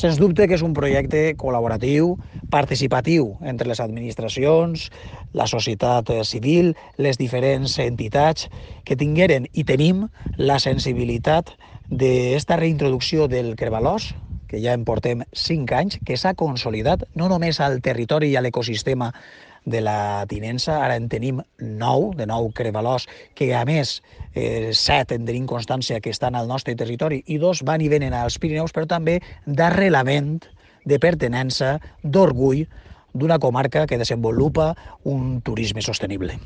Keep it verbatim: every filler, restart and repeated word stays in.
Sens dubte que és un projecte col·laboratiu, participatiu entre les administracions, la societat civil, les diferents entitats que tingueren i tenim la sensibilitat d'esta reintroducció del Kerbalós, que ja en portem cinc anys, que s'ha consolidat no només al territori i a l'ecosistema de la tinença, ara en tenim nou, de nou crevalors, que a més eh, set en tenim constància que estan al nostre territori i dos van i venen als Pirineus, però també d'arrelament, de pertinença, d'orgull d'una comarca que desenvolupa un turisme sostenible.